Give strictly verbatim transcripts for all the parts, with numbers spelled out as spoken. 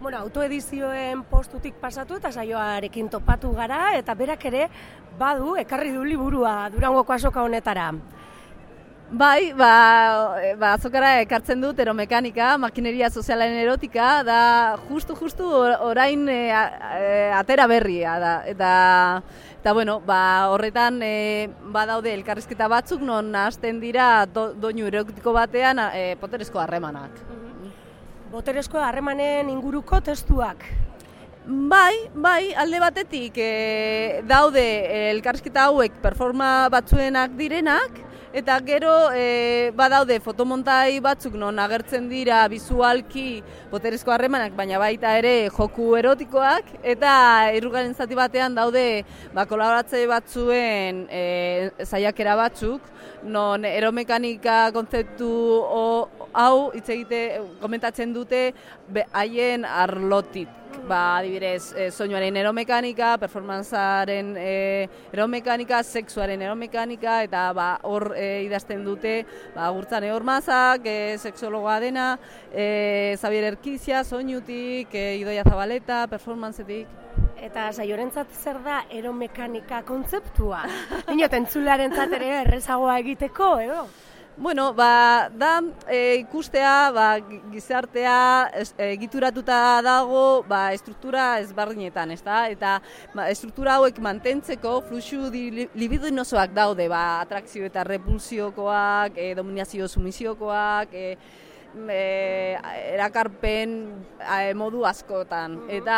Bueno, autoedizioen postutik pasatu eta saioarekin topatu gara, eta berak ere badu, ekarri du liburua Durangoko azoka honetara. Bai, ba, ba, azokara ekartzen dut eromekanika, makineria sozialaren erotika, da justu-justu orain e, e, atera berria da. Eta, eta bueno, ba, horretan e, badaude elkarrizketa batzuk non hasten dira do, doinu erotiko batean e, boterezko harremanak. Boterezko harremanen inguruko testuak. Bai, bai, alde batetik e, daude elkarrizketa hauek performa batzuenak direnak, eta gero e, badaude fotomontai batzuk non agertzen dira bizualki boterezko harremanak, baina baita ere joku erotikoak, eta hirugarren zati batean daude ba, kolaboratzaile batzuen e, saiakera batzuk, non eromekanika kontzeptu o, hau hitz egite komentatzen dute haien arlotik. Ba, adibidez, e, soinuaren eromekanika, performantzaren e, eromekanika, sexuaren eromekanika, eta ba, hor e, idazten dute ba, Gurtzane Ormazak, e, sexologoa dena, e, Xabier Erkizia, soinutik, e, Idoia Zabaleta, performantzetik. Eta saiorentzat zer da eromekanika kontzeptua? Inot, entzularentzat ere errezagoa egiteko, edo? Bueno, ba, da e, ikustea, ba, gizartea egituratuta dago ba, estruktura ezberdinetan, ezta? Eta ba, estruktura hauek mantentzeko fluxu libidinosoak daude, ba, atrakzio eta repulsiokoak, e, dominazio sumisiokoak, e, E, erakarpen e, modu askotan, eta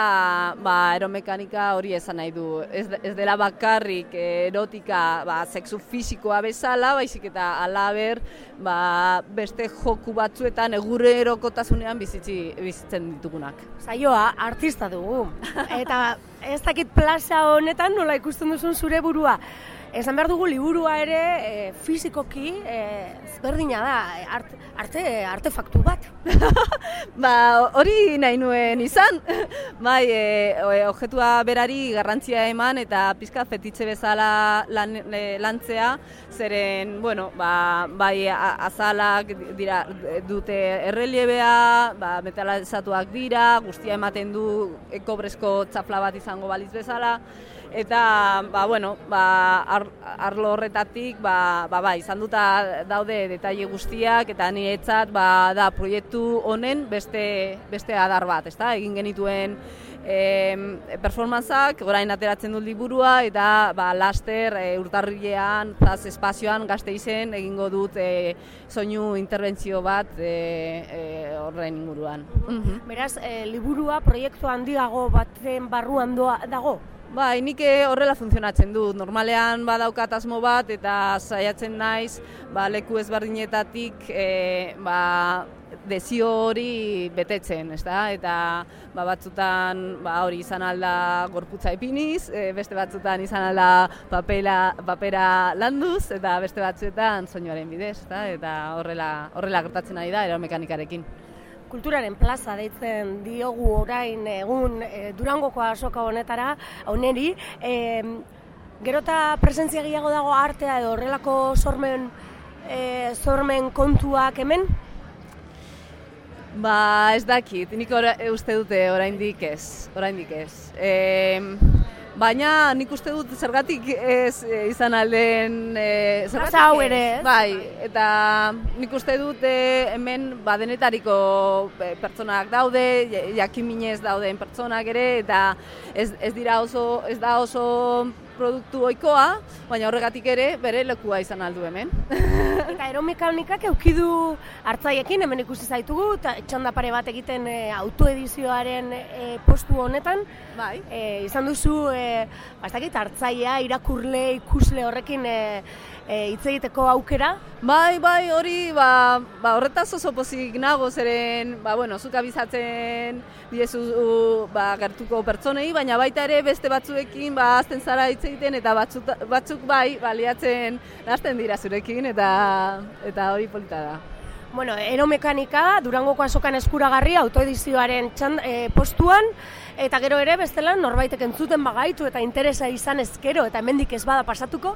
ba, eromekanika hori esan nahi du. Ez, ez dela bakarrik erotika ba, sexu fisikoa bezala, baizik eta halaber ba, beste joku batzuetan egunerokotasunean bizitzi, bizitzen ditugunak. Saioa artista dugu, eta ez dakit plaza honetan nola ikusten duzun zure burua. Esan behar dugu liburua ere e, fizikoki e, ezberdina da, art, arte, artefaktu bat. Ba, hori nahi nuen izan. Bai, e, objetua berari garrantzia eman eta pizka fetitxe bezala lan, e, lantzea, zeren, bueno, ba, bai azalak dira, dute erreliebea, ba, metalizatuak dira, guztia ematen du kobrezko txafla bat izango baliz bezala. Eta, ba, bueno, ba, ar, arlo horretatik, ba, ba, ba, izan duta daude detaile guztiak, eta niretzat, ba, da, proiektu honen beste, beste adar bat, ezta? Egin genituen e, performantzak, orain ateratzen dut liburua, eta, ba, laster, e, urtarrilean, zaz, espazioan, Gasteizen, egingo dut e, soinu interbentzio bat e, e, horren inguruan. Uh-huh. Beraz, e, liburua proiektu handiago baten barruan doa, dago? Bai, nik horrela funtzionatzen dut. Normalean badaukat asmo bat eta saiatzen naiz ba, leku ezberdinetatik e, ba, desio hori betetzen, ezta? Eta ba, batzutan ba, hori izan alda gorputza ipiniz, e, beste batzutan izan alda papela, papera landuz, eta beste batzuetan soinuaren bidez, ezta? Eta horrela, horrela gertatzen ari da eromekanikarekin. Kulturaren plaza deitzen diogu orain egun e, Durangoko azoka honetara, honeri, e, gero eta presentzia gehiago dago artea edo horrelako sormen, e, sormen kontuak hemen? Ba, ez dakit, nik ora, uste dute oraindik ez, oraindik ez. E, Baina nik uste dut zergatik ez e, izan alden... E, Plaza hau ere, ez? Bai, eta nik uste dut e, hemen badenetariko pertsonak daude, jakiminez dauden pertsonak ere, eta ez, ez dira oso, ez da oso produktu ohikoa, baina horregatik ere bere lekua izan aldu hemen. Eta eromekanikak eukidu hartzaiekin, hemen ikusi zaitugu, eta txanda pare bat egiten e, autoedizioaren e, postu honetan. Bai. E, izan duzu, e, bastakit, hartzaia, irakurle, ikusle horrekin e, e, hitz egiteko aukera. Bai, bai, hori, ba, ba horretaz oso pozik nago, zeren, ba, bueno, zuk abizatzen diezu ba, gertuko pertsonei, baina baita ere beste batzuekin, ba, azten zara hitz egiten, eta batzuk, batzuk bai, baliatzen hasten dira zurekin, eta eta hori polita da. Bueno, Eromekanika, Durangoko azokan eskuragarri, autoedizioaren txand, e, postuan, eta gero ere, bestela, norbaitek entzuten bagaitu eta interesa izan ezkero, eta hemendik ez bada pasatuko?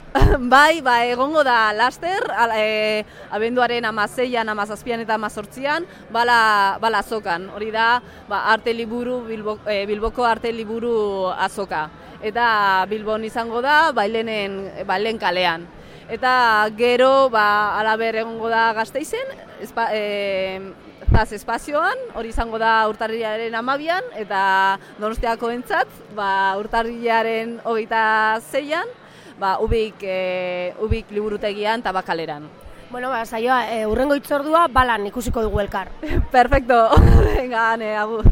Bai, ba, egongo da laster, ala, e, abenduaren amazeian, amazazpian eta amazortzian, bala, bala azokan. Hori da, ba, arte liburu, Bilbo, e, Bilboko arte liburu azoka. Eta Bilbon izango da, bailenen, bailen kalean. Eta gero, ba, alaber egongo da Gasteizen, espa, e, zaz espazioan, hori izango da urtarrilaren amabian, eta Donostiako entzat, ba, urtarrilaren hogeita zeian, ba, ubik, e, ubik liburutegian eta bakaleran. Bueno, ba, saioa, e, urrengo hitzordua balan ikusiko dugu elkar. Perfecto, venga, ane, agur.